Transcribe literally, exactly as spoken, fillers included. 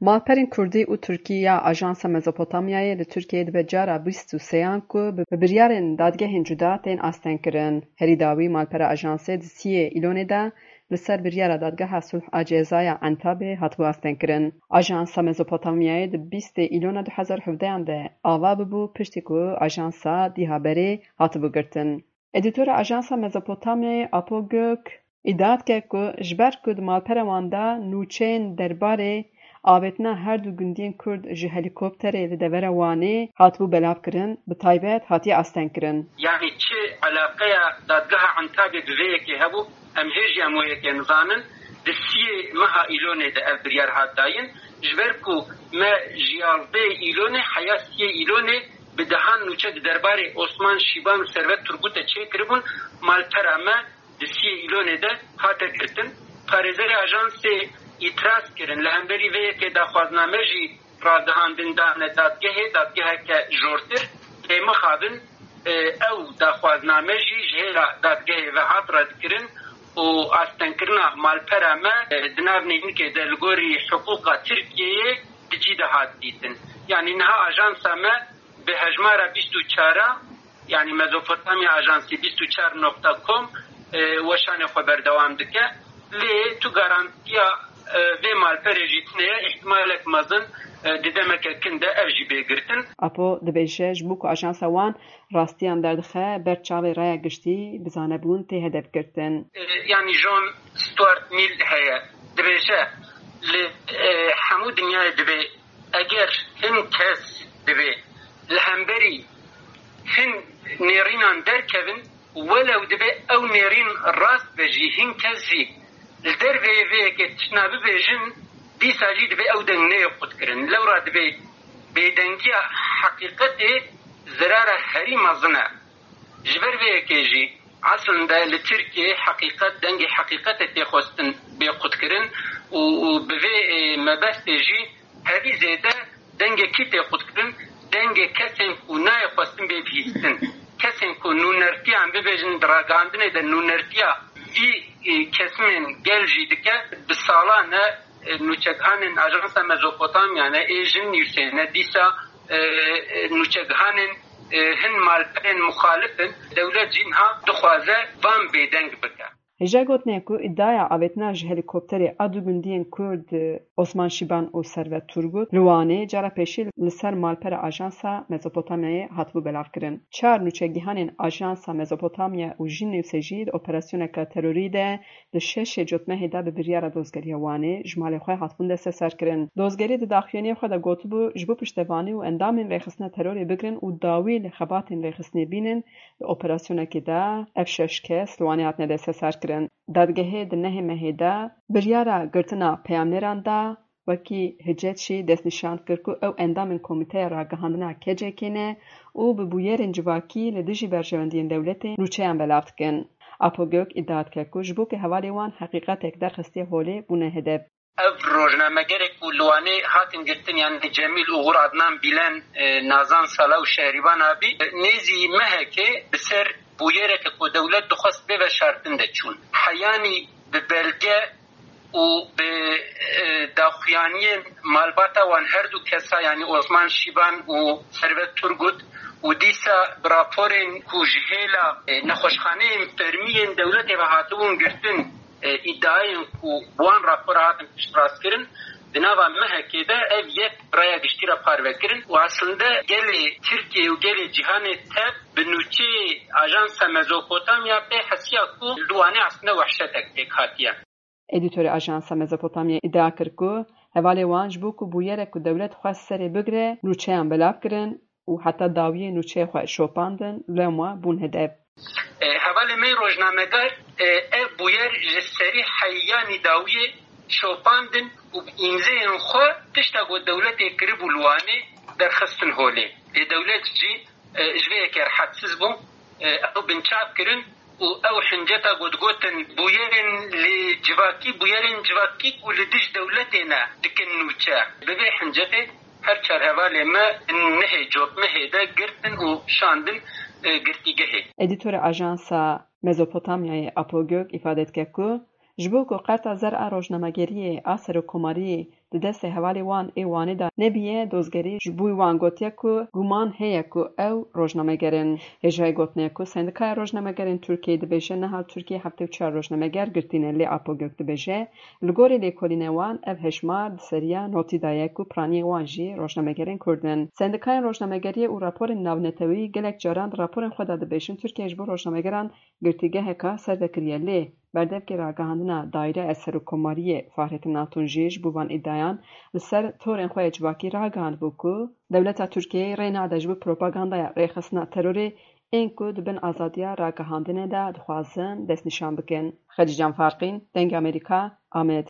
Malperên Kurdî û Tirkî ya Ajansa Mezopotamyayê li Tirkiyeyê dibe cara bîst û sêyan ku bi, bi biryarên dadgehên cuda tên astengkirin. Herî dawî malpera ajansê di siyê Îlonê de li ser biryara Dadgeha Sulh a Ceza ya Entabê hatibû astengkirin. Ajansa Mezopotamyayê di bîstê Îlona du hezar hevdeyan de ava bibû, piştî ku ajansa dîha berê hatibû girtin. Edîtora Ajansa Mezopotamyayê Apo Gök îdia dike ku ji ber ku di malpera wan de nûçeyên derbarê avêtina her du gundiyên Kurd ji helîkopterê li devera Wanê hatibû belavkirin, bi taybet hatiye astengkirin. Yanî çi eleqeya dadgeha Entabê bi vê yekê hebû, em hê jî em wê yekê nizanin. Di siyê meha Îlonê de ev biryar hat dayîn. Ji ber ku me ji yazdehê Îlonê heya siyê Îlonê bi dehan nûçe di derbarê Osman Şîban û Servet Turgutê çêkiribûn, malpera me di siyê Îlonê de hate girtin. Parêzerê ajansê îtiraz kirin, li hemberî vê yekê daxwazname jî ragihandin dane dadgehê, dadgeheke jortir. Lê mixabin, e, ew daxwazname jî ji hêla dadgehê ve hat redkirin û astengkirina malpera me, e, di nav neynikê de li gorî hiqûqa Tirkiyeyê di cî de hat dîtin. Yanî niha ajansa me bi hejmara bîst û çar a, yanî Mezopotamya Ajansi bîst û çar nokta com, e, weşanê xwe berdewam dike. Lê tu garantiya, e, vê malperê jî tune ye, îhtimalek mezin, e, di demeke kin de ev jî bê girtin. Apo dibêje, ji bo ku ajansa wan rastiyan derdixe, ber çavê raya giştî bizanebûn tê hedef girtin. E, yanî John Stuart Mill heye, dibêje, li, e, hemû dinyayê dibê eger hin kes divê li hemberî hin nêrînan derkevin, welew divê ew nêrîn rast be jî, hin kes jî li derveyê vê yekê tiştna bibêjin, dîsa jî divê ew deng neyê qutkirin. Lewra divê bêdengiya heqîqetê zirara herî mezin e. Ji ber vê yekê jî eslinde li Tirkiyeyê heqîqet, dengê heqîqetê tê xwestin bê qutkirin û, û bi vê, e, mebestê jî hevî zêde dengê kî tê qutkirin? Dengê kesên ku nayê xwestin bê bihîstin. Kesên ku nûnertiya, em bibêjin di ragihandinê de nûnertiya vî, e, kesimên gel jî dike, bi salan e, e, nûçegihanên Ajansa Mezopotamya ne, ê jin nivîsê ne, dîsa, e, e, nûçegihanên, e, hin malperên muxalif in, dewlet jî niha dixwaze van bêdeng bike. Hêja gotinê ku îdiaya avêtina ji helîkopterê a du gundiyên Kurd, e, Osman Şîban û Servet Turgut li Wanê cara pêşî li ser malpera Ajansa Mezopotamyayê hatibû belavkirin. Çar nûçegihanên Ajansa Mezopotamya û jin nivîsê jî di operasyoneke terorî de Di şeşê Cotmehê de bi biryara Dozgeriya Wanê ji malê xwe hatibûn desteserkirin. Dozgerî di daxuyaniyê xwe de gotibû, ji bo piştevanî û endamên rêxistina terorê bigirin û dawî li xebatên rêxistinê bînin, di operasyonekê de ev şeş kes li Wanê hatine desteserkirin. Dadgehê di nehê mehê de biryara girtina peyamnêran da, Wekî Hicet jî destnîşan kir ku ew endamên Komîteya Ragihandina K C K'ê ne û bi bûyerên civakî li dijî berjewendiyên dewletê nûçeyan belav dikin. Apo Gök îdia dike ku ji bo ku hevalê wan heqîqetek derxistiye holê bûne hedef. Ev rojnamegerê ku li Wanê hatin girtin, yanî Cemîl Uğur, Adnan Bilen, e, Nazan Sala û Şehrîban Abî, e, nêzî mehekê bi ser bûyereke ku dewlet dixwest bê veşartin de çûn. Heyanî bi belge û bi, e, daxuyaniyên malbata wan her du kesa, yanî Osman Şîban û Servet Turgut û dîsa bi raporên ku ji hêla, e, nexweşxaneyên fermî yên dewletê ve hatibûn girtin, e, îdiayên ku bi wan rapora hatin piştrastkirin, di nava mehekê de ev yek raya giştî re parve kirin û aslinde gelê Tirkiyê û gelê cîhanê tev bi nûçeyê Ajansa Mezopotamya pê hesiya ku li Wanê aslinde wehşetek pêk hatiye. Edîtorê Ajansa Mezopotamyayê îdia kir ku hevalê wan ji bo ku bûyerek ku dewlet xwest serê bigire, nûçeyan belav kirin û heta dawiyê nûçeyê xwe şopandin, lewma bûn hedef. E, hevalê me rojnamegar, e, ev bûyer ji serî heyanî dawiyê şopandin û bi îmzeyên xwe tişta ku dewletê kiribû li Wanê derxistin holê. Lê dewlet jî e, ji vê yekê rehetsiz bû. E, ew binçav kirin û ew hinceta ku digotin bûyerên li civakî, bûyerên civakî ku li dij dewletê ne dikin nûçe. Bi vê hincetê her çar hevalê me nehê Cotmehê de girtin û şandin, e, girtîgehê. Edîtorê Ajansa Mezopotamyayê Apo Gök îfade dike ku ji bo ku qerta zer a rojnamegeriyê a serokkomarî di destê hevalê wan ê Wanê de nebiye, dozgerî ji bo wan gotiye ku guman heye ku ew rojnameger in. Hêjayî gotinê ye ku Sendikaya Rojnamegerên Tirkiyeyê dibêje niha li Tirkiyeyê heftê û çar rojnameger girtî ne, lê Apo Gök dibêje, li gorî lêkolînê wan ev hejmar di seriya notî de ye ku piraniyê wan jî rojnamegerên Kurd in. Sendikayên rojnamegeriyê û raporên navneteweyî gelek caran di raporên xwe de dibêjin Tirkiye ji bo rojnamegeran girtîgeheka ser vekiriye, lê berdevkê ragihandina Daîreya Serokkomariyê Fahrettin Altun jî ji bo van îdiayan li ser torên xwe yê civakî ragihandibû ku dewleta Tirkiyeyê rê nade ji bo propagandaya rêxistina terorê ên ku di bin azadiya ragihandinê de dixwazin destnîşan bikin. Xedîcan Farqîn, Dengê Amerîka, Amed.